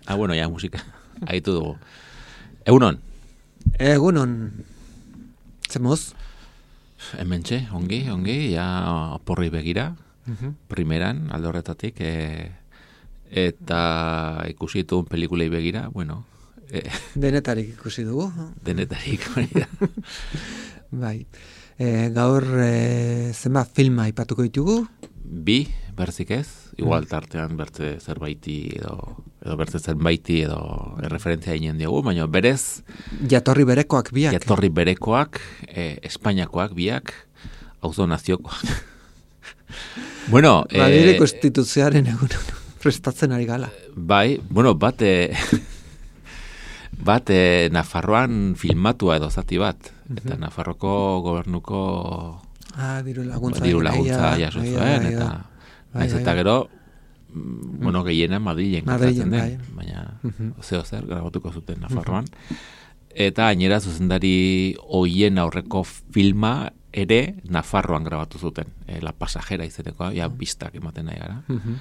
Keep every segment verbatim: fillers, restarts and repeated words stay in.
Ah, bueno, ya, musika. Aitu dugu. Egunon? Egunon. Zemuz? Hementxe, ongi, ongi, ja porri begira, Uh-huh. primeran, alde horretatik, e, eta ikusi dituen pelikulei begira, bueno, e, Denetarik ikusi dugu. denetarik, hori da. Bai. E, gaur e, zenbat filma aipatuko ditugu? Bi, berzik ez, igual tartean bertze zerbaiti edo, edo bertze zerbaiti edo referentzia egin diogu, baina berez, Jatorri berekoak biak. jatorri berekoak, e, Espainiakoak biak, auzo naziokoak. Bueno, Madrileko eh, konstituzioaren egun prestatzen ari gala. bai, bueno, bat, eh, bat eh, Nafarroan filmatua edo zati bat, eta Nafarroko gobernuko Ah, diru laguntza. diru laguntza Bai, jaso bai, zuen, bai, eta bai, naiz bai, eta bai. gero, mm, bueno, gehiena Madrilen Madrilen, gertatzen den, bai. baina Mhm. zeo zer grabatuko zuten Nafarroan. Eta gainera zuzendari hoien aurreko filma ere Nafarroan grabatu zuten, e, La Pasajera izenekoa, ja bistak ematen nahi gara. Mhm.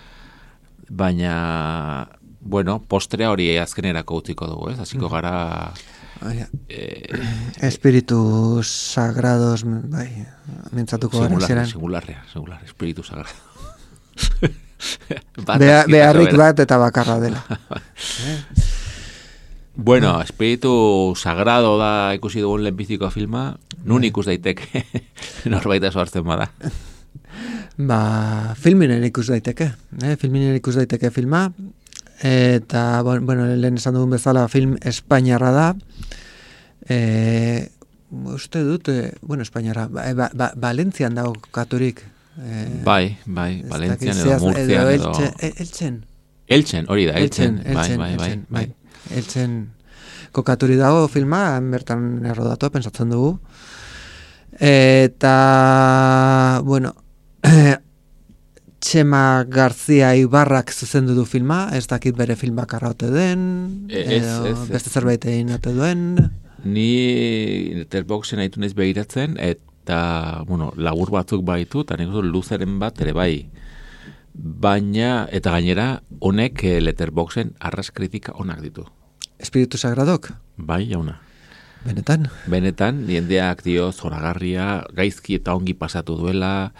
Baina, bueno, postrea hori azkenerako utziko dugu, ez? Hasiko gara Baina, eh, espiritu sagrados, bai, mintzatuko gara, singular, zeran. singularrea, singular, espiritu sagrado. Bat Bea, azkitako beharrik bera. bat eta bakarra dela. Bueno, espiritu sagrado da ikusi dugun lehenbiziko filma, nun ikus daiteke norbait eso hartzen bada. Ba, filminen ikus daiteke, eh? filminen ikus daiteke filma, eta, bon- bueno, lehen esan dugun bezala film espainiarra da, e, uste dut, e, bueno, espainiarra, ba, ba, ba, Valentzian dago katurik. E, Bai, bai, ez Valentzian dakit edo zehaz- Murtzian edo... Eltxe, e- Eltzen. Eltzen, hori da, Eltzen, bai, Eltzen, bai, bai, Eltzen, bai. Eltzen kokaturi dago filma, han bertan errodatu, pentsatzen dugu. Eta, bueno, Txema Garzia Ibarrak zuzendu du filma, ez dakit bere filmak arraute den, E- ez, edo ez, ez. beste zerbait egin ote duen. Ni Letterboxen haitu naiz begiratzen, eta, bueno, lagur batzuk baitu, eta nik uste dut luzeren bat ere bai. Baina, eta gainera, honek eh, Letterboxen arras kritika onak ditu. Espiritu Sagradok, Bai, jauna. benetan. Benetan, jendeak dio zoragarria, gaizki eta ongi pasatu duela,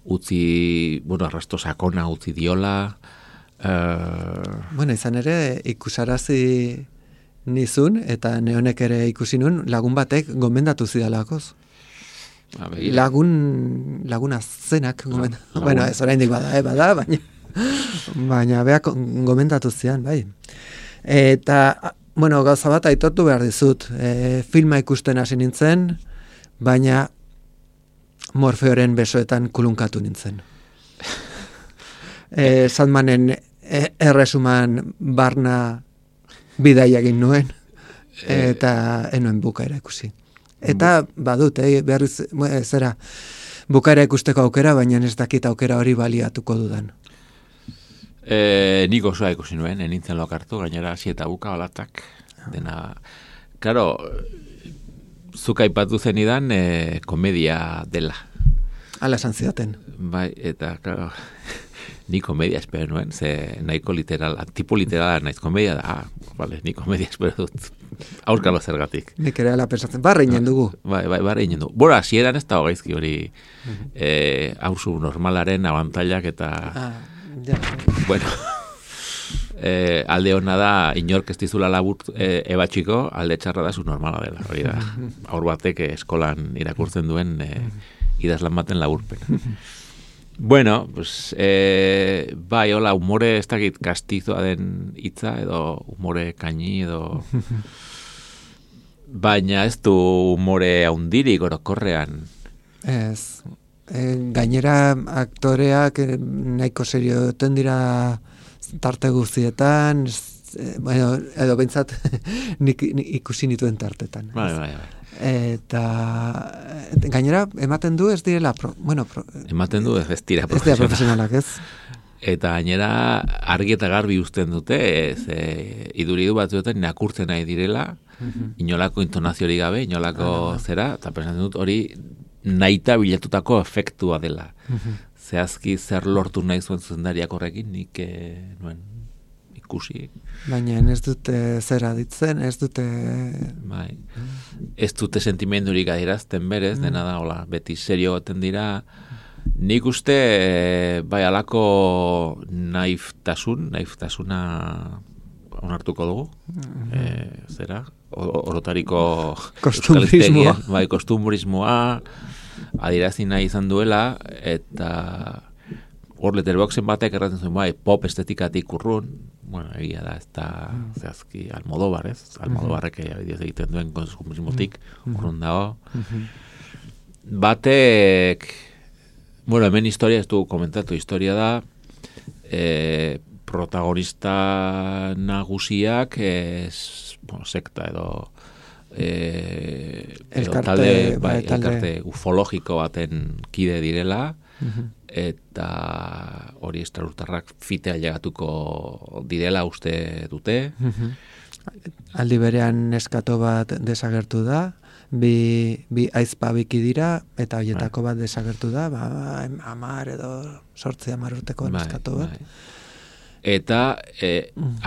utzi, bueno, arrasto sakona utzi diola, uh, Bueno, izan ere, ikusarazi nizun, eta neonek ere ikusi nun, lagun batek gomendatu zidalakoz. Lagun, laguna zenak gomendatu. lagun. Bueno, ez oraindik bada, eh, bada, baina, baina beak gomendatu zian, bai. Eta, bueno, gauza bat aitortu behar dizut. E, filma ikusten hasi nintzen, baina Morfeoren besoetan kulunkatu nintzen. E, Sandmanen e, erresuman barna bidaia egin nuen, eta enuen bukaera ikusi. Eta badut, eh, berriz, eh, zera, bukaera ikusteko aukera, baina ez dakit aukera hori baliatuko dudan. E, nik osoa ikusi nuen, enintzen lokartu, gainera hasi eta buka olatak, dena, claro, zuk aipatu zenidan e, komedia dela. Hala esan zidaten. Bai, eta, claro, ni komedia espero nuen, ze nahiko literala, tipo literala naiz komedia da, ah, vale, ni komedia espero dut, aurkalo zergatik. Nik ere ala pensatzen, barra inen dugu. Bai, bai, barra inen du. Bora, hasieran ez dago gaizki hori, eh, hauzu normalaren abantailak eta... Ah, ja. Bueno, eh, alde hona da, inork ez dizula labur eh, ebatxiko, alde txarra da zu normala dela, hori da. Aur batek eh, eskolan irakurtzen duen eh, idazlan baten laburpen. Bueno, pues, e, bai, hola, humore ez dakit kastizoa den hitza, edo humore kaini, edo... Baina ez du humore haundirik orokorrean. Ez, e, gainera aktoreak e, nahiko serioten dira tarte guztietan, e, bueno, edo bentsat nik, nik ikusi nituen tartetan. Bai, bai, bai. Eta gainera ematen du ez direla pro, bueno, pro, ematen du ez dira profesionalak, ez dira profesionalak, ez? Eta gainera argi eta garbi uzten dute, ez, e, iduridu batzuetan nakurtzen nahi direla, uh-huh. Inolako intonaziorik gabe, inolako uh-huh. zera, eta pensatzen dut hori nahita bilatutako efektua dela. Uh-huh. Zehazki zer lortu nahi zuen zuzendariak horrekin, nik e, nuen ikusi. Baina ez dute zera ditzen, ez dute... Bai. Ez dute sentimendurik adierazten berez, uh-huh. dena da, hola, beti serio goten dira... Nik uste, bai, alako naiftasun, naiftasuna onartuko dugu, mm-hmm. e, zera, orotariko kostumbrismoa, bai, kostumbrismoa adierazi nahi izan duela, eta hor Letterboxen batek erraten zuen, bai, pop estetikatik urrun, bueno, egia da, ez da, mm. zehazki, Almodóvar, ez? Almodóvarrek mm-hmm. egiten duen kostumbrismotik mm-hmm. urrun dago. Mm-hmm. Batek... Bueno, hemen historia, ez du komentatu, historia da, e, protagonista nagusiak, ez, bueno, sekta edo, e, elkarte, talde, bai, bai, elkarte ufologiko baten kide direla, uh-huh. eta hori estralurtarrak fitea llegatuko direla uste dute. Uh-huh. Aldi berean neskato bat desagertu da, bi, bi aizpa biki dira, eta horietako bat desagertu da, ba, amar edo sortzi amar urteko neskato bat. Bai. Eta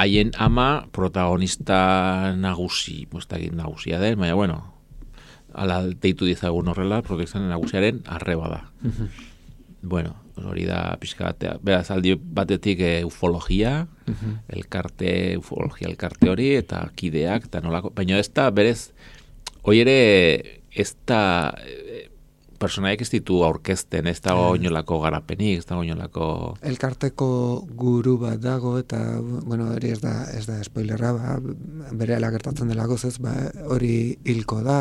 haien e, ama protagonista nagusi, moztagin nagusia den, baina bueno, ala deitu dizagun horrela, protagonista nagusiaren arreba da. Uh-huh. Bueno, hori da pixka batea. Beraz, aldi batetik e, ufologia, uh-huh. elkarte, ufologia elkarte hori, eta kideak, eta nolako, baina ez da, berez, hoi ere, ez da, e, personaiek ez ditu aurkezten, ez dago oinolako garapenik, ez dago oinolako... Elkarteko guru bat dago, eta, bueno, hori ez da, ez da spoilerra, ba, bere gertatzen delako, ez, ba, hori hilko da,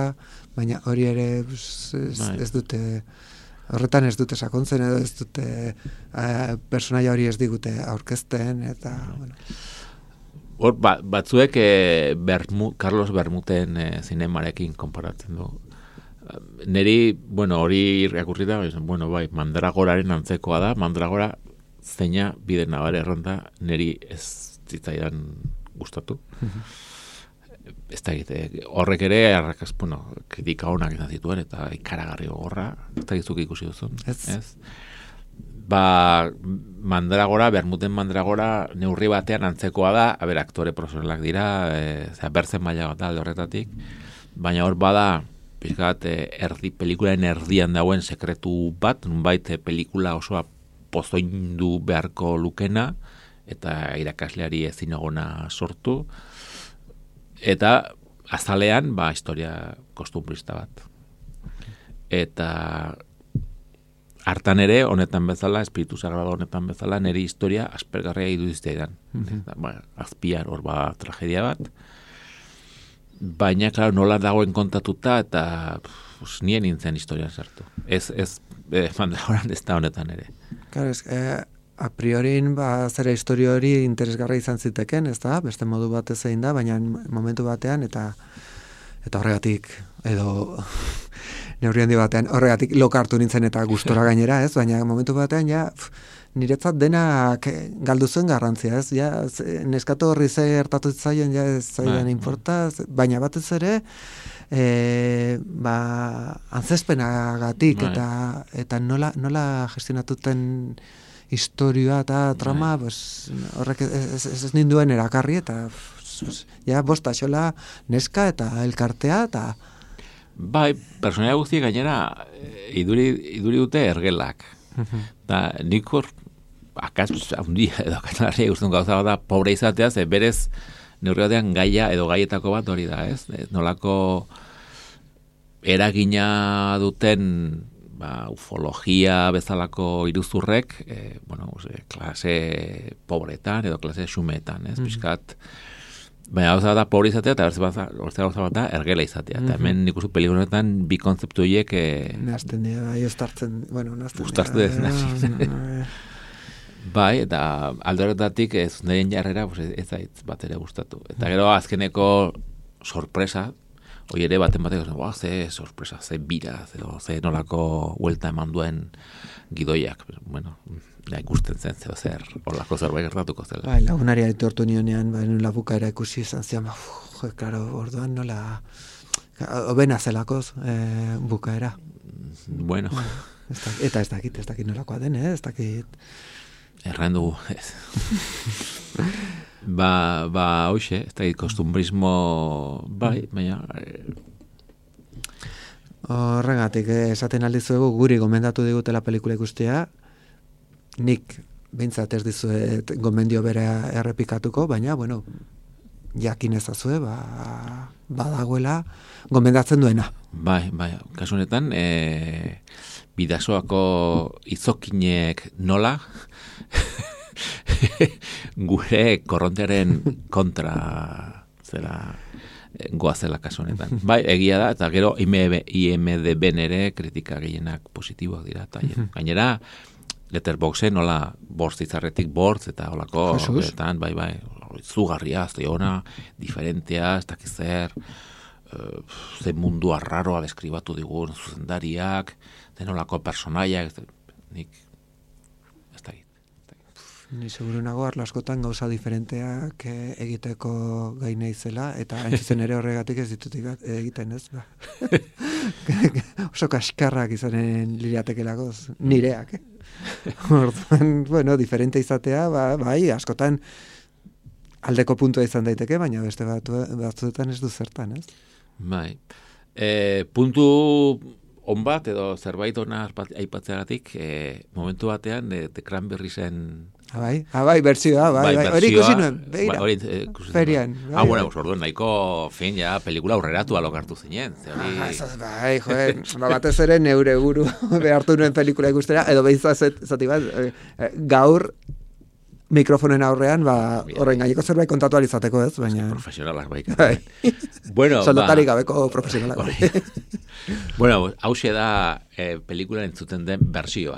baina hori ere ez, ez dute... Horretan ez dute sakontzen edo ez dute uh, personaia hori ez digute aurkezten eta bueno. Hor ba, batzuek eh, Bermu, Carlos Bermuten eh, zinemarekin konparatzen du. Neri, bueno, hori irakurrita, bueno, bai, Mandragoraren antzekoa da, Mandragora zeina bide nabare erronda neri ez zitzaidan gustatu. Ez da egite, horrek ere arrakaz, bueno, kritika honak izan zituen eta ikaragarri gogorra, ez da gizuk ikusi duzun. Ez. Ez? Ba, Mandragora, Bermuten Mandragora neurri batean antzekoa da, haber, aktore profesionalak dira, e, zera, berzen maila bat da alde horretatik, baina hor bada, pixkat, erdi, pelikularen erdian dauen sekretu bat, nunbait pelikula osoa pozoindu beharko lukena, eta irakasleari ezin egona sortu, eta azalean, ba, historia kostumbrista bat. Eta hartan ere, honetan bezala, espiritu sagrado honetan bezala, niri historia aspergarria iduzizteidan. Mm-hmm. Ba, azpiar hor ba tragedia bat. Baina, klaro, nola dagoen kontatuta, eta pues, nien nintzen historian sartu. Ez, ez, eh, Mandragoran ez da honetan ere. Claro, ez, eh, a priorin, ba, zera historia hori interesgarra izan ziteken, ez da, beste modu batez egin da, baina momentu batean, eta eta horregatik, edo neurri handi batean, horregatik lokartu nintzen eta gustora gainera, ez, baina momentu batean, ja, pf, niretzat denak galdu zuen garrantzia, ez, ja, neskato horri ze gertatu zitzaien, ja, ez zaidan inporta, baina batez ere, e, ba, antzespenagatik, eta, eta nola, nola gestionatuten historia eta trama, pues, horrek ez, ez, ez ninduen erakarri, eta pues, ja, bosta xola neska eta elkartea, eta... Bai, personaia guzti gainera iduri, iduri dute ergelak. Da, nik hor, akaz, handia edo katanarria guztun gauza bat da, pobre izatea, ze berez neurri batean gaia edo gaietako bat hori da, ez? Nolako eragina duten ba, ufologia bezalako iruzurrek, e, bueno, ose, klase pobretan edo klase xumetan, ez, mm-hmm. Piskat, baina gauza bat da pobre izatea, eta bertzea gauza bat da ergela izatea. Eta mm-hmm. hemen nik uste pelikuletan bi kontzeptu horiek... E, Nazten dira, bai, estartzen, bueno, nazten dira. Uztartzen dira. Bai, eta alde horretatik ez nireen jarrera pues, ez zait bat ere gustatu. Eta gero azkeneko sorpresa, hoi ere baten batek, oh, ze sorpresa, ze bira, ze, ze nolako huelta eman duen gidoiak. Bueno, ja ikusten zen, zeo zer, olako zerbait gertatuko zela. Bai, lagunaria etortu nionean, bai, nula bukaera ikusi izan zian, ba, jo, klaro, orduan nola, obena zelakoz e, bukaera. Bueno. Ez da, eta ez dakit, ez dakit nolakoa den, eh? Ez dakit... Erran dugu, ez. ba, ba, hoxe, ez da, kostumbrismo, bai, baina... Horregatik, eh, esaten aldizuegu guri gomendatu digutela pelikula ikustea, nik behintzat ez dizuet gomendio bera errepikatuko, baina, bueno, jakin ezazue, ba, badagoela gomendatzen duena. Bai, bai, kasu honetan, e, bidasoako izokinek nola, gure korrontearen kontra zela goazela kasu honetan. Bai, egia da, eta gero I M D B ere kritika gehienak positiboak dira. Eta, gainera, Letterboxen nola bortz izarretik bortz, eta holako, betan, bai, bai, zugarria, zeiona, diferentea, ez dakiz zer, uh, ze mundu arraroa deskribatu digun zuzendariak, denolako personaiak, nik, ez da egit. Ni seguru nago arlo askotan gauza diferenteak egiteko gai naizela, eta hain ere horregatik ez ditut egiten, ez? Ba. Oso kaskarrak izanen liriatekelagoz, nireak, eh? Orduan, bueno, diferente izatea, ba, bai, askotan aldeko puntua izan daiteke, baina beste batzuetan ez du zertan, ez? Bai. E, puntu on bat, edo zerbait ona aipatzeagatik, e, momentu batean, e, The Cranberriesen... Abai, abai, bertsioa, bai, bai, hori ikusi nuen, beira, bai, eh, ferian. Bai, ah, bueno, orduan, nahiko, fin, ja, pelikula aurreratu alokartu zinen. Hori... Ah, bai, joe, batez ere neure buru behartu nuen pelikula ikustera, edo behitzat zati bat, gaur mikrofonen aurrean, ba, horren gaineko zerbait kontatu alizateko ez, baina... Profesionalak baik. Bueno, soldatarik gabeko profesionalak. Bueno, hause da eh, pelikula entzuten den bersioa.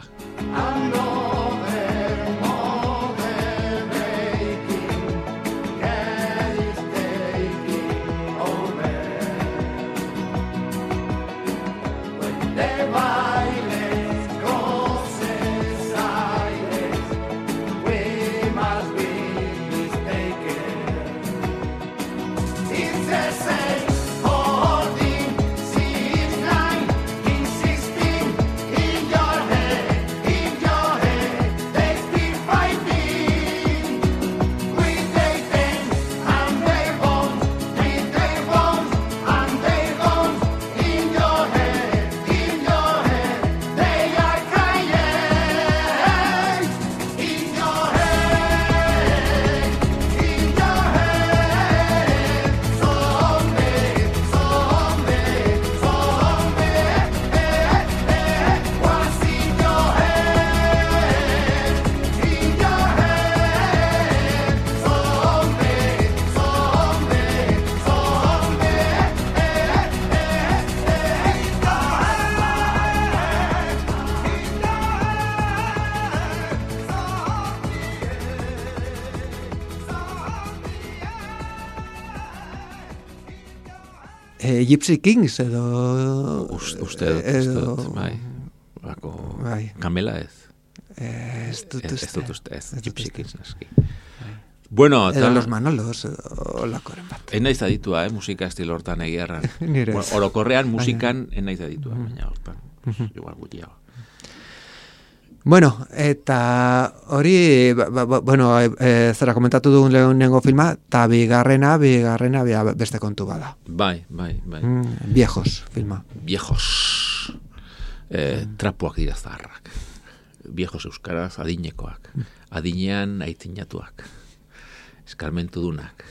Gypsy Kings edo... Uste, uste, edo, bai. Bako, bai. Kamela ez. Ez dut uste. Ez dut uste, ez. Gypsy Kings naski. Bueno, edo ta... Los Manolos, edo lakoren bat. En naiz aditua, eh, musika estilo hortan egiarran. Nire ez. Orokorrean musikan en naiz aditua, baina hortan. Igual gutiago. Bueno, eta hori, ba, ba, bueno, e, zera komentatu dugun lehenengo filma, eta bigarrena, bigarrena beste kontu bada. Bai, bai, bai. Mm, viejos filma. Viejos. E, mm. Trapuak dira zaharrak. Viejos euskaraz adinekoak. Adinean aitzinatuak. Eskarmentu dunak.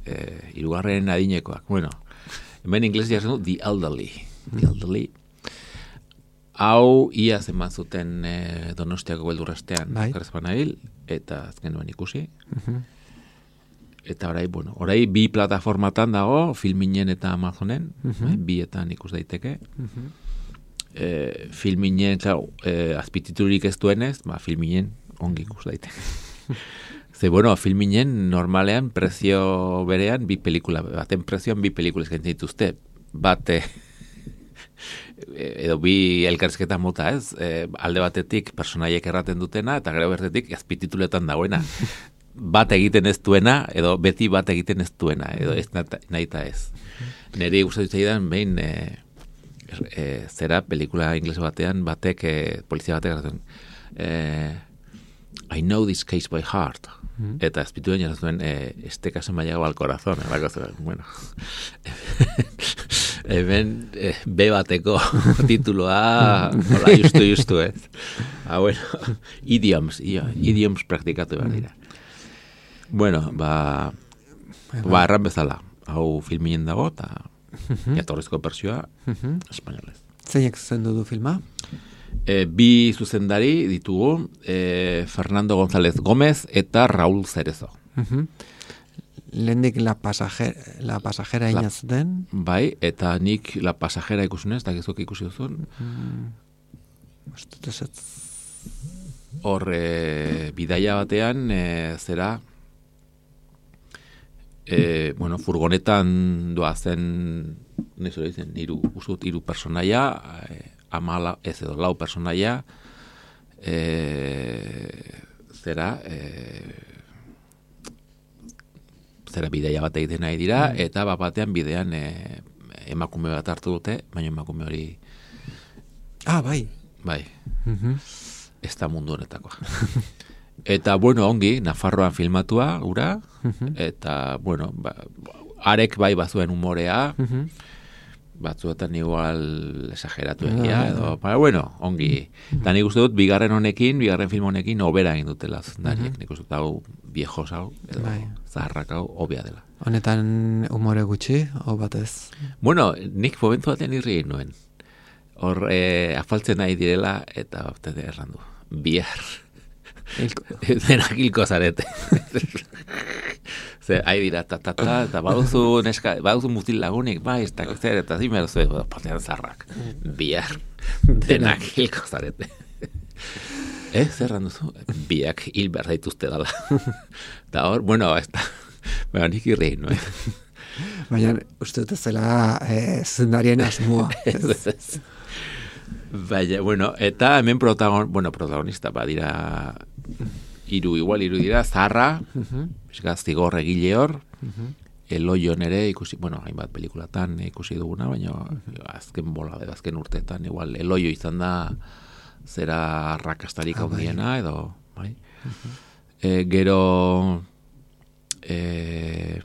E, irugarren adinekoak. Bueno, hemen inglés jartzen du, the elderly. The elderly. hau ia zenbat zuten e, Donostiako beldurrestean bai. Nabil, eta azken nuen ikusi. Uh-huh. Eta orai, bueno, orai bi plataformatan dago, Filminen eta Amazonen, uh-huh. bietan ikus daiteke. Uh-huh. E, Filminen, klar, e, azpititurik ez duenez, ba, Filminen ongi ikus daiteke. Ze, bueno, Filminen normalean prezio berean bi pelikula, baten prezioan bi pelikula eskaintzen dituzte. Bate, edo bi elkarrizketa mota, ez? E, alde batetik personaiek erraten dutena, eta gero bertetik azpitituletan dagoena. Bat egiten ez duena, edo beti bat egiten ez duena, edo ez nahi eta ez. Neri gustatu zaidan, behin, e, e, zera, pelikula ingles batean, batek, e, polizia batek erraten, e, I know this case by heart. Mm-hmm. Eta azpituen jarazuen, e, este caso me ha llegado al corazón. Eh, bueno, hemen eh, B bateko tituloa, hola, justu, justu, ez. Ah, bueno, idioms, ia, idioms praktikatu behar dira. Bueno, ba, ba, erran bezala, hau Filminen dago, eta jatorrizko persioa, espainolez. Zeinek zuzendu du filma? E, bi zuzendari ditugu, e, Fernando González Gómez eta Raúl Cerezo. Uh-huh. Lehendik la pasajera, la pasajera la, inazuten. Bai, eta nik la pasajera ikusunez, eta gizok ikusi duzun. Mm. Hor, e, bidaia batean, e, zera, e, bueno, furgonetan doazen, nezo dizen, iru, usut, iru personaia, e, amala, ez edo, lau personaia, e, zera, e, zera bideia bat egiten nahi dira, mm. eta bat batean bidean e, emakume bat hartu dute, baina emakume hori... Ah, bai. Bai. Mm-hmm. Ez da mundu honetakoa. Eta, bueno, ongi, Nafarroan filmatua, ura, mm-hmm. eta, bueno, ba, arek bai bazuen humorea, mm-hmm. batzuetan igual esageratu egia, edo, ba, bueno, ongi. Eta nik uste dut, bigarren honekin, bigarren film honekin, obera egin dutela zundariek. Nik uste dut, hau, viejos hau, edo, bai. Zaharrak hau, obia dela. Honetan humore gutxi, o batez? Bueno, nik momentu batean irri egin nuen. Hor, e, afaltzen nahi direla, eta baptete errandu. Bihar. Denak hilko zarete. Ze, hai dira, ta, ta, ta, eta baduzu, neska, baduzu mutil lagunik, bai, ez da, zer, eta zimer zu, patean zarrak. Bihar, denak hilko zarete. Eh, zerran duzu? Biak hil behar daituzte dala. Eta hor, bueno, ez da, baina nik irri, no? Baina, uste dut zela eh, zendarien asmoa. Ez, ez. Baina, bueno, eta hemen protagon, bueno, protagonista, badira... Iru, igual, iru dira, Zarra, uh-huh. Zigor egile hor, uh-huh. Eloio nere ikusi, bueno, hainbat pelikulatan ikusi duguna, baina uh-huh. azken bola, azken urteetan, igual, Eloio izan da zera rakastarik hau diena, edo, bai. Uh-huh. E, gero, e,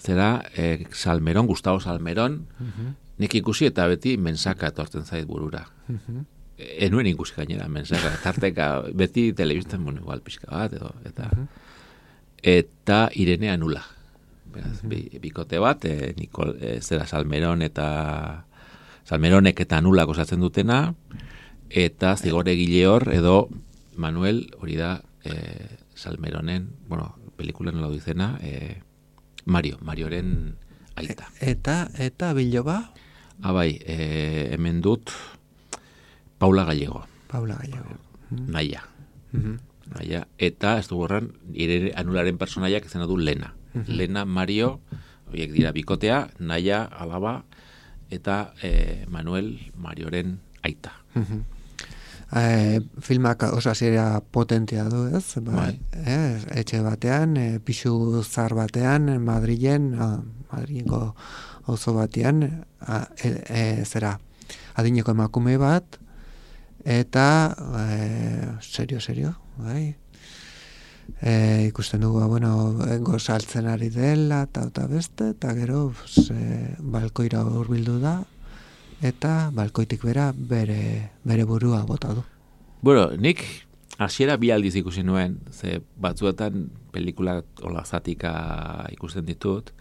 zera, e, Salmeron, Gustavo Salmeron, uh-huh. nik ikusi eta beti mensaka etortzen zait burura. Uh-huh. Enuen ikusi gainera, mensaka, tarteka, beti telebistan, bueno, igual, pixka bat, edo, eta, eta Irene Anula. Beraz, bi, bikote bat, e, Nikol, e, zera Salmeron eta, Salmeronek eta Anulak osatzen dutena, eta Zigor egile hor, edo Manuel, hori da, e, Salmeronen, bueno, pelikulan nola dizena, e, Mario, Marioren aita. Eta, eta Biloba? Ah, bai, e, hemen dut, Paula Gallego. Paula Gallego. Naia. Mm-hmm. Naia. Eta, ez du gorran, Irene Anularen personaiak izena du Lena. Mm-hmm. Lena, Mario, horiek dira bikotea, Naia, alaba, eta eh, Manuel, Marioren aita. Mm-hmm. Eh, filmak oso hasiera potentea du, ez? Ba, bai. Eh, etxe batean, eh, pixu zar batean, Madrilen, ah, Madrilengo auzo batean, ah, e, e, zera, adineko emakume bat, eta e, serio, serio, bai. E, ikusten dugu, bueno, gozaltzen ari dela, eta eta beste, eta gero e, balkoira hurbildu da, eta balkoitik bera bere, bere burua bota du. Bueno, nik hasiera bi aldiz ikusi nuen, ze batzuetan pelikula hola zatika ikusten ditut,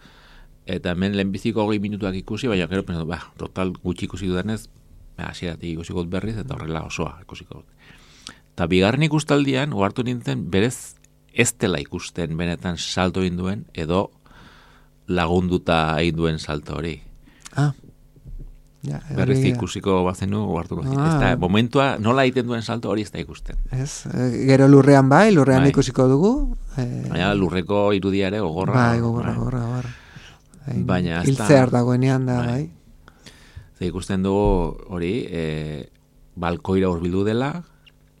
eta hemen lehenbiziko hogei minutuak ikusi, baina gero, ba, total gutxi ikusi dudanez, hasieratik ikusiko dut berriz, eta horrela osoa ikusiko dut. Eta bigarren ikustaldian, ohartu nintzen, berez ez dela ikusten benetan salto egin duen, edo lagunduta egin duen salto hori. Ah. Ja, berriz ikusiko bazenu, ohartuko. Ah. Ez da, momentua, nola egiten duen salto hori ez da ikusten. Ez, gero lurrean bai, lurrean bai. Ikusiko dugu. Eh, Baina lurreko irudia ere gogorra. Bai, gogorra, gogorra, gogorra. Baina hiltzear dagoenean da, bai. Ze ikusten dugu hori, e, balkoira hurbildu dela,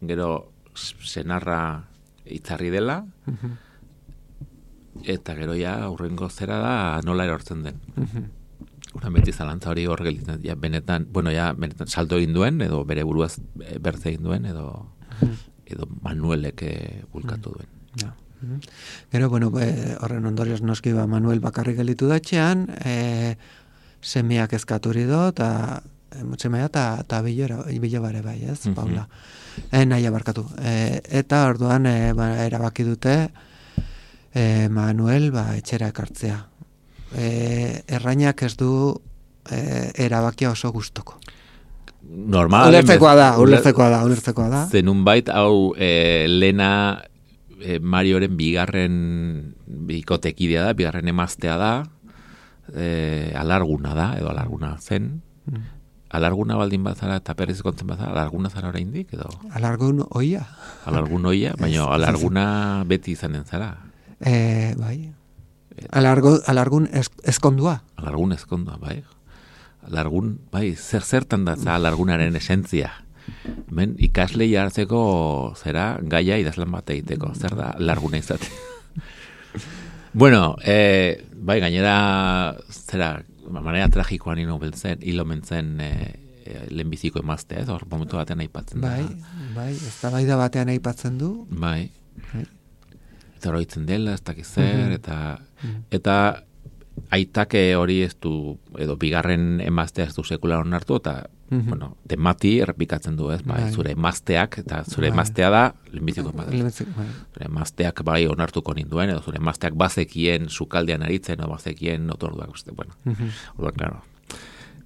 gero senarra itzarri dela, uh-huh. eta gero ja aurrengo zera da nola erortzen den. Uh-huh. Uran beti zalantza hori hor gelditzen, ja benetan, bueno, ja benetan salto egin duen, edo bere buruaz bertze egin duen, edo, uh-huh. edo Manuelek bulkatu duen. Ja. Uh-huh. Gero, bueno, e, horren ondorioz noski ba Manuel bakarrik gelditu datxean, e, semeak eskaturi do, eta semea eta bilo bare bai, ez, uh-huh. Paula. E, nahi abarkatu. E, eta orduan e, ba, erabaki dute e, Manuel ba, etxera ekartzea. E, errainak ez du e, erabakia oso gustoko. Normal. Ulertzekoa da, ulertzekoa da, ulertzekoa da. Zenun bait, hau e, Lena e, Marioren bigarren bikotekidea da, bigarren emaztea da, e, alarguna da, edo alarguna zen. Mm. Alarguna baldin bazara eta perriz kontzen bazara, alarguna zara oraindik edo? Alargun oia. Alargun oia, baina alarguna beti izanen zara. E, bai. Alargo, alargun ez, ezkondua. Alargun ezkondua, bai. Alargun, bai, zer zertan da za alargunaren esentzia. Ben, ikasle jartzeko zera gaia idazlan bat egiteko. Zer da alarguna izate. Bueno, eh, bai, gainera zera, manera tragikoan ino beltzen, hilo mentzen eh, lehenbiziko emaztea, ez hor momentu batean aipatzen da. Bai, bai, ez da bai da batean aipatzen du. Bai. Bai. Eta horoitzen dela, ez dakiz zer, eta, eta aitake hori ez du, edo bigarren emaztea ez du sekular onartu, eta, mm-hmm. bueno, temati errepikatzen du, ez, bai, zure emazteak, eta zure emaztea da, lehenbiziko emaztea. Zure emazteak bai onartuko ninduen, edo zure emazteak bazekien sukaldean aritzen, edo bazekien otorduak, uste, bueno, mm-hmm. orduan, claro,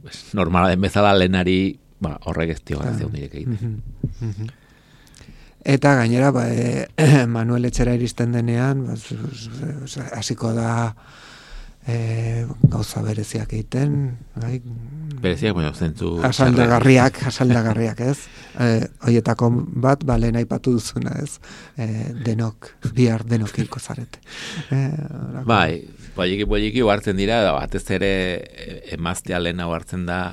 pues, normala den bezala lehenari, ba, horrek ez dio gara zeun direk egiten. Mm-hmm. Eta gainera, ba, e, Manuel etxera iristen denean, hasiko ba, da e, gauza bereziak egiten. Bai? Bereziak, bueno, zentzu... Asaldagarriak, asaldagarriak, ez? E, Hoietako bat, ba, lehen aipatu duzuna, ez? E, denok, bihar denok hilko zarete. E, bai, poliki poliki hartzen dira, da, batez ere emaztea lehen hau hartzen da,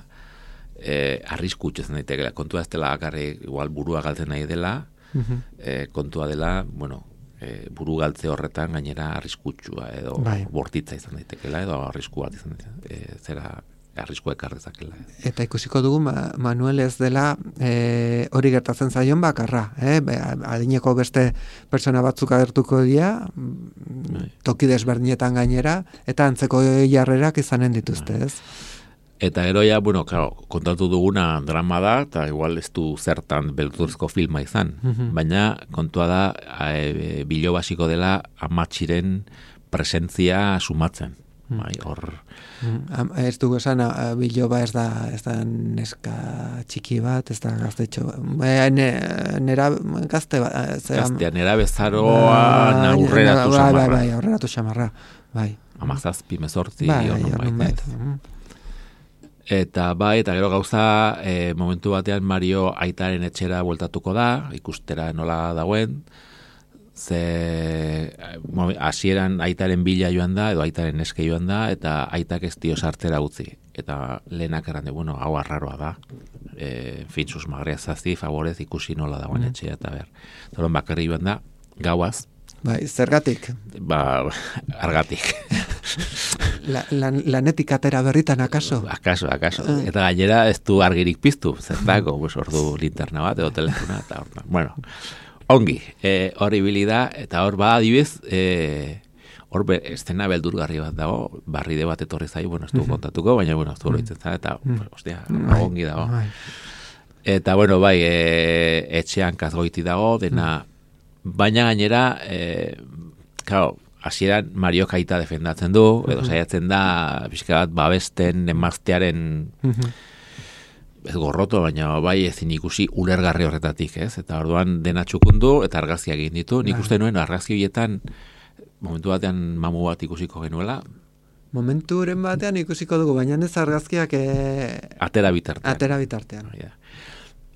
e, arriskutxo zen daitekela. Kontua ez dela, akarri, igual burua galtzen nahi dela, Uh-huh. E, kontua dela, bueno, e, buru galtze horretan gainera arriskutsua edo bai. Bortitza izan daitekela edo arrisku bat izan daitekela, e, zera arriskua ekar dezakela. Eta ikusiko dugu ma, Manuel ez dela e, hori gertatzen zaion bakarra, eh? Be, adineko beste pertsona batzuk agertuko dira, bai. Toki desberdinetan gainera, eta antzeko jarrerak izanen dituzte, bai. Ez? Eta gero ja, bueno, claro, kontatu duguna drama da, eta igual ez du zertan beldurrezko filma izan. Mm-hmm. Baina kontua da, e, bilo basiko dela amatxiren presentzia sumatzen. Mm. Bai, hor... Mm. Ez dugu esan, biloba ez da, ez da neska txiki bat, ez da gaztetxo. Ne, nera gazte bat. Gaztea, nera bezaroa aurreratu bai, xamarra. Bai, bai, aurreratu xamarra. Bai. Amazazpi mezortzi. Bai, horren bait. Eta bai, eta gero gauza, e, momentu batean Mario aitaren etxera bueltatuko da, ikustera nola dagoen, ze hasieran aitaren bila joan da, edo aitaren eske joan da, eta aitak ez dio sartzera utzi. Eta lehenak errande, bueno, hau arraroa da, e, fintzuz magrea zazi, favorez ikusi nola dagoen mm. etxea, eta ber. Zoron bakarri joan da, gauaz. Bai, zergatik? Ba, argatik. La, lan, lanetik atera berritan, akaso? Akaso, akaso. Uh. Eta gainera ez du argirik piztu, zertako, pues, ordu linterna bat, edo telefona, eta hor, bueno, ongi, e, hor ibili da, eta hor ba, adibez, e, hor be, estena beldurgarri bat dago, barride bat etorri zai, bueno, ez du kontatuko, baina, bueno, ez du horitzen zara, eta, mm. ostia, mm. ongi dago. Mm. Eta, bueno, bai, e, etxean kazgoiti dago, dena, mm. baina gainera, e, claro, hasieran Mario Kaita defendatzen du, edo saiatzen da, pixka bat, babesten emaztearen ez gorroto, baina bai ezin ikusi ulergarri horretatik, ez? Eta orduan dena txukundu eta argazkiak egin ditu. Nik uste nuen argazki horietan momentu batean mamu bat ikusiko genuela. Momenturen batean ikusiko dugu, baina ez argazkiak e... atera bitartean. Atera bitartean.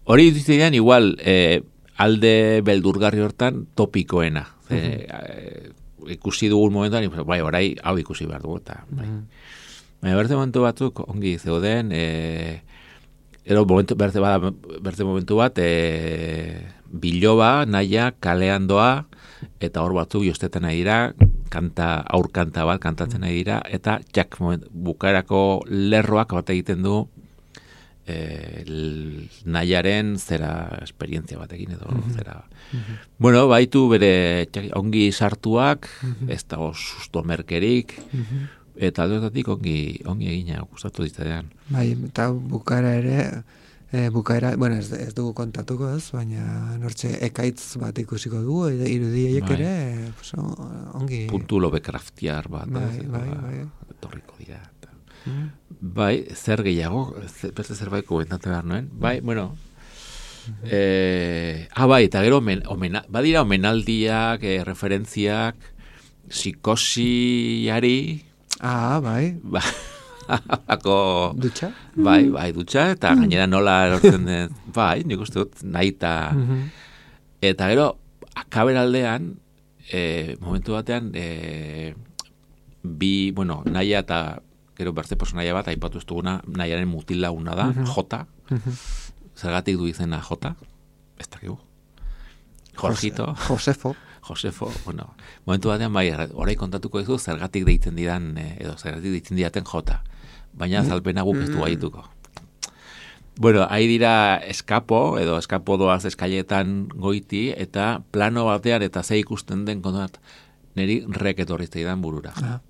Hori dituztean igual e, alde beldurgarri hortan topikoena. Ze, uh-huh. e, ikusi dugun momentuan, bai, orai hau ikusi behar dugu. Eta, bai. Uh-huh. Baina berte momentu batzuk ongi zeuden, e, ero momentu, berte, bada, berte momentu bat, e, biloba, naia, kalean doa, eta hor batzuk josteten nahi dira, kanta, aur kanta bat kantatzen nahi dira, eta jak moment, bukaerako lerroak bat egiten du e, nahiaren zera esperientzia batekin edo mm-hmm. zera. Mm-hmm. Bueno, baitu bere txak, ongi sartuak, mm-hmm. ez dago susto merkerik, mm-hmm. eta aldotatik ongi, ongi egina gustatu ditzadean. Bai, eta bukaera ere, e, bukaera, bueno, ez, ez dugu kontatuko ez, baina nortxe ekaitz bat ikusiko dugu, irudiek bai. Ere, pues, ongi... Puntu lobekraftiar bat, bai, ez, bai, bai. Etorriko dira. Mm. Bai, zer gehiago, beste zerbait komentatu behar nuen. Bai, bueno, mm-hmm. eh, ah, bai, eta gero, omen, omena, badira omenaldiak, eh, referentziak, psikosiari... Ah, bai. Ba, ako... Dutxa? Bai, bai, dutxa, eta mm. gainera nola erortzen den, bai, nik uste dut, nahi eta... Mm-hmm. Eta gero, akaberaldean, eh, momentu batean, eh, bi, bueno, naia eta gero berze personaia bat, aipatu ez duguna, naiaren mutila una da, mm-hmm. Jota. Mm-hmm. Zergatik du izena Jota? Ez dakigu. Jorgito. Josefo. Josefo, bueno, momentu batean bai, orai kontatuko dizu zergatik deitzen didan, edo zergatik deitzen didaten Jota. Baina azalpena guk ez du gaituko. Bueno, ahi dira eskapo, edo eskapo doaz eskailetan goiti, eta plano batean eta ze ikusten den kontuat, niri rek etorrizte idan burura. Ah.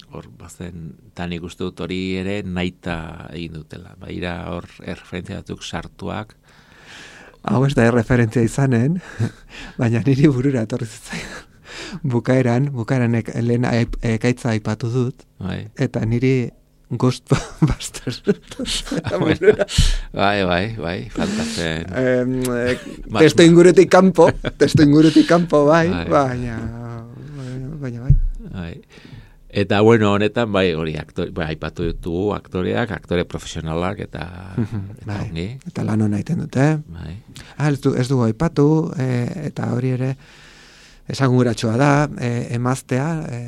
Hor, bazen, tan ikustu dut hori ere naita egin dutela. Baira hor erreferentzia batzuk sartuak. Hau ez da erreferentzia izanen, baina niri burura etorri zitzaidan. Bukaeran, bukaeran ek, lehen ekaitza aipatu dut, bai. Eta niri Ghostbusters. Bai, bai, bai, fantazen. Eh, testo ingurutik kanpo, testo ingurutik kanpo, bai, bai. Baina, baina, bai. Bai. Eta, bueno, honetan, bai, hori, aktore, bai, aipatu ditugu aktoreak, aktore profesionalak, eta, eta bai. Ongi. Eta lan hona egiten dute. Bai. Ah, ez, du, ez dugu aipatu, e, eta hori ere, esanguratxoa da, e, emaztea, e,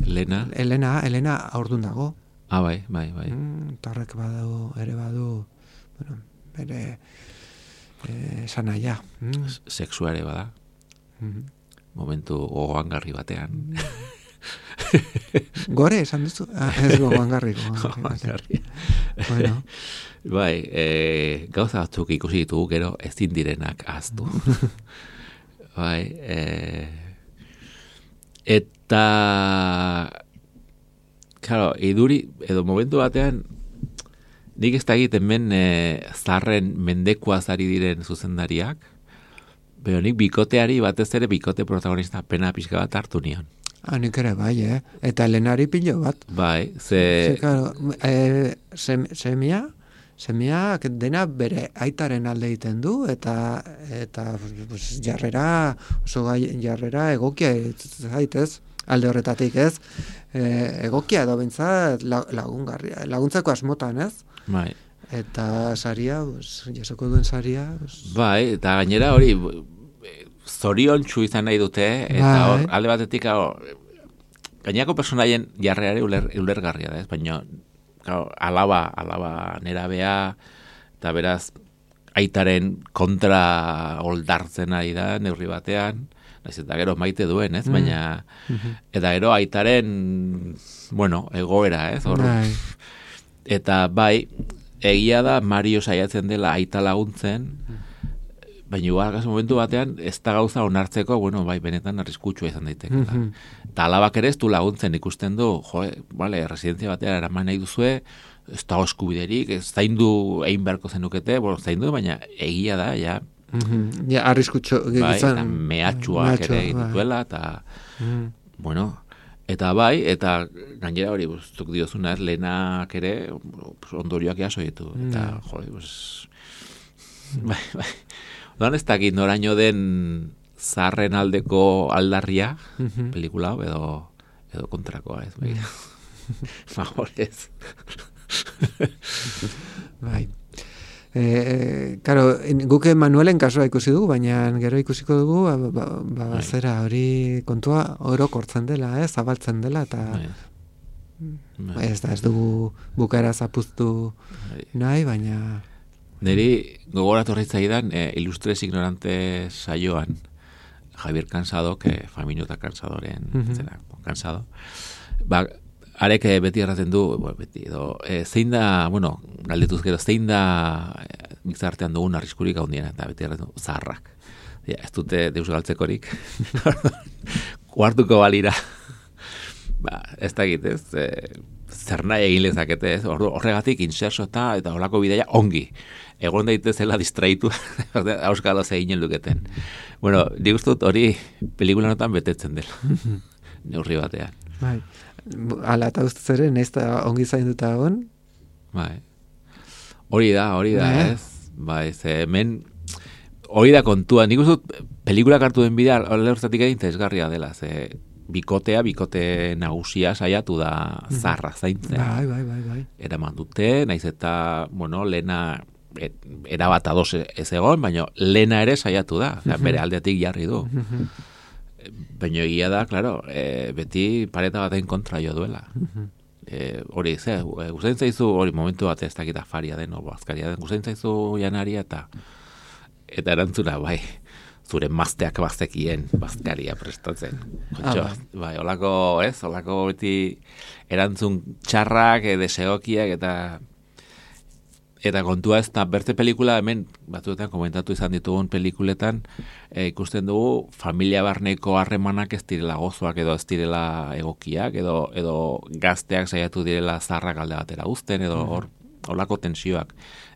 Elena. Elena, Elena aurdun dago. Ah, bai, bai, bai. Mm, tarrek badu, ere badu, bueno, bere, esan e, naia. Mm. Sexuare bada. Mm-hmm. Momentu gogoangarri batean. Gore, esan duzu? Ah, ez gogoangarri. Gogoangarri. Bueno. Bai, e, gauza batzuk ikusi ditugu, gero ezin direnak ahaztu. Bai, e, eta, claro, iduri, edo momentu batean, nik ez da egiten men e, zarren mendekua zari diren zuzendariak, pero nik bikoteari batez ere bikote protagonista pena pixka bat hartu nion. Ah, nik ere bai, eh? Eta Elenari pilo bat. Bai, ze... Ze, claro, e, sem, semia, semia dena bere aitaren alde egiten du, eta eta pues, jarrera, oso gai, jarrera egokia zaitez, alde horretatik ez, e, egokia edo bintzat lagungarria, laguntzako asmotan ez? Bai. Eta saria, pues, jasoko duen saria... Pues... Bai, eta gainera hori... zoriontsu izan nahi dute, eta hor, alde batetik, gainako personaien jarreare uler, ulergarria da, ez? Baina, gau, alaba, alaba nerabea, eta beraz, aitaren kontra oldartzen ari da, neurri batean, naiz eta gero maite duen, ez? Baina, mm. eta gero aitaren, bueno, egoera, ez? Hor, bai. Eta bai, egia da, Mario saiatzen dela aita laguntzen, baina igual, gaso momentu batean, ez da gauza onartzeko, bueno, bai, benetan arriskutsua izan daiteke. Mm-hmm. Eta alabak ere ez du laguntzen ikusten du, jo, vale, residentzia batean eraman nahi duzue, ez da eskubiderik, ez zaindu egin beharko zenukete, bueno, zaindu, baina egia da, ja. Mm-hmm. Ja, arriskutsu. Bai, eta mehatxuak ere egin dituela, eta, mm. bueno, Eta bai, eta gainera hori, zuk diozuna, ez, lehenak ere ondorioak jaso ditu. Eta, mm. jode, pues, bai, bai. Odan ez dakit noraino den zaharren aldeko aldarria, mm-hmm. pelikula, edo, edo kontrakoa, ez, bai. Favorez. Bai. Eh, claro, guk Manuelen kasua ikusi dugu, baina gero ikusiko dugu, ba, ba, ba zera hori kontua orokortzen dela, eh, zabaltzen dela, eta bai. ez da, ez dugu bukaera zapuztu bai. nahi, baina... Neri gogoratu horretzaidan, eh, Ilustres Ignorantes saioan, Javier Cansado, que Famino eta Cansadoren, mm-hmm. zera, Cansado, ba, arek beti erraten du, bueno, beti, edo, e, zein da, bueno, galdetuz gero, zein da e, gizartean dugun arriskurik handiena, eta beti erraten du, zaharrak. Ja, ez dute deus galtzekorik. Kuartuko balira. Ba, ez da egitez, e, zer nahi egin lezakete, ez? Horregatik, inserso eta, eta horako bideia ongi. Egon daitezela distraitu, auskalo zeinen luketen. Bueno, nik uste dut hori pelikula notan betetzen dela. Neurri batean. Bai. Ala eta ustez ere, nahiz da ongi zainduta egon? Bai. Hori da, hori da, eh? ez? Bai, ze hemen, hori da kontua. Nik uste dut, pelikulak hartu den bidea, lehortzatik egin interesgarria dela, ze bikotea, bikote nagusia saiatu da zarra zaintzen. Bai, bai, bai, bai. Eraman dute, nahiz eta, bueno, lehena, et, erabat ados ez egon, baina lehena ere saiatu da, uh-huh. bere aldeatik jarri du. Uh-huh. Baina egia da, claro, e, beti pareta baten kontra jo duela. Uh-huh. E, hori, ze, gustatzen zaizu, hori momentu bat ez dakita faria den, o bazkaria den, gustatzen zaizu janaria eta eta erantzuna, bai, zure mazteak bazekien bazkaria prestatzen. Kontxo, ah, bai. bai, olako, ez, olako beti erantzun txarrak, e, desegokiak eta eta kontua ez da, berte pelikula hemen, batzuetan komentatu izan ditugun pelikuletan, e, ikusten dugu familia barneko harremanak ez direla gozoak edo ez direla egokiak, edo, edo gazteak saiatu direla zarrak alde batera uzten, edo hor, holako tensioak.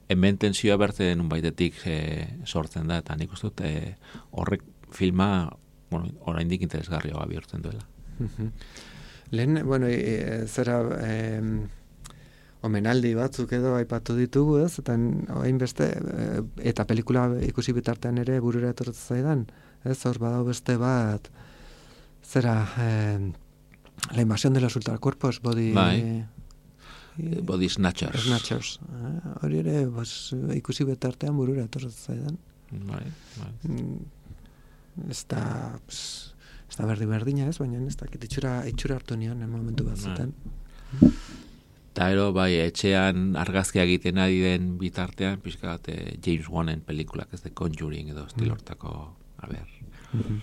Hemen tensioa berte denun baitetik e, sortzen da, eta nik uste dut e, horrek filma, bueno, oraindik interesgarria bihurtzen duela. Lehen, bueno, e, zera... E, omenaldi batzuk edo aipatu ditugu, ez? Eta orain beste eta pelikula ikusi bitartean ere burura etortzen zaidan, ez? Hor badau beste bat zera eh, la invasión de los ultracuerpos, body bai. Body snatchers. Snatchers. Hori ere, pues, ikusi bitartean burura etortzen zaidan. Bai, bai. Ez da, pues, ez da berdi berdina, ez? Baina ez da, itxura, itxura hartu nion en momentu batzutan. Bai. Eta ero, bai, etxean argazkia egiten ari den bitartean, pixka bat, James Wanen pelikulak, ez de Conjuring edo estilortako, a ber. Mm-hmm.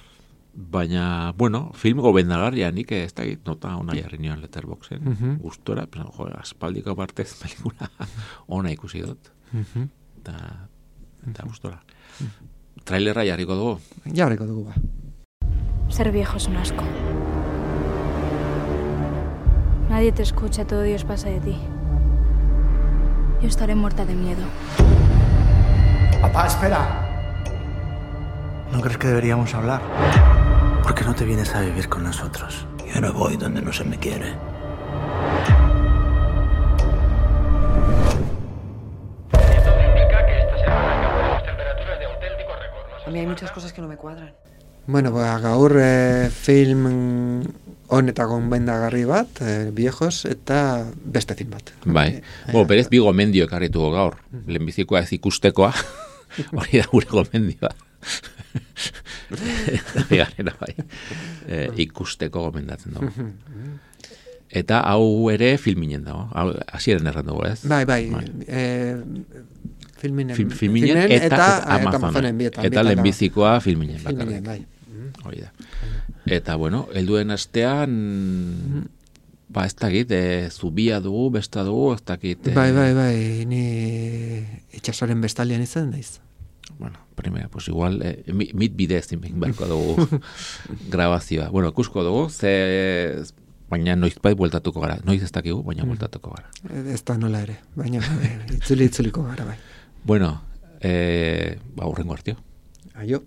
Baina, bueno, film gobendagarria, nik ez da egit, nota ona jarri nion Letterboxen, mm-hmm. gustora, pero, jo, aspaldiko partez pelikula ona ikusi dut. Mm-hmm. Eta, eta gustora. Mm-hmm. Trailerra jarriko dugu? Jarriko dugu, ba. Ser viejo es un asco. Nadie te escucha, todo Dios pasa de ti. Yo estaré muerta de miedo. Papá, espera. ¿No crees que deberíamos hablar? ¿Por qué no te vienes a vivir con nosotros? Yo no voy donde no se me quiere. Esto indica que esta semana alcanzaremos temperaturas de auténtico récord. A mí hay muchas cosas que no me cuadran. Bueno, ba, gaur eh, film honetako bendagarri bat, eh, viejos, eta beste film bat. Bai, eh, bo, berez bi gomendio ekarrituko gaur. Lehenbizikoa ez ikustekoa, hori da gure gomendioa. Bigarrena bai, eh, ikusteko gomendatzen dugu. Eta hau ere filminen dago, hasieren erran dugu, ez? Bai, bai, bai. Eh, filminen, Film, filminen eta, eta, eta Amazonen. Bietan, eta lehenbizikoa filminen. Filminen, bai. Hori da. Eta, bueno, helduen astean, ba, ez dakit, e, zubia dugu, besta dugu, ez dakit... E, bai, bai, bai, ni itxasoren bestalian izan daiz. Bueno, primera, pues igual, e, mit bidez inbek berko dugu grabazioa. Bueno, ikusko dugu, ze... Baina noiz bai bueltatuko gara. Noiz ez dakigu, baina bueltatuko gara. Ez da nola ere, baina itzuli itzuliko gara, bai. Bueno, e, ba, hurrengo hartio. Aio.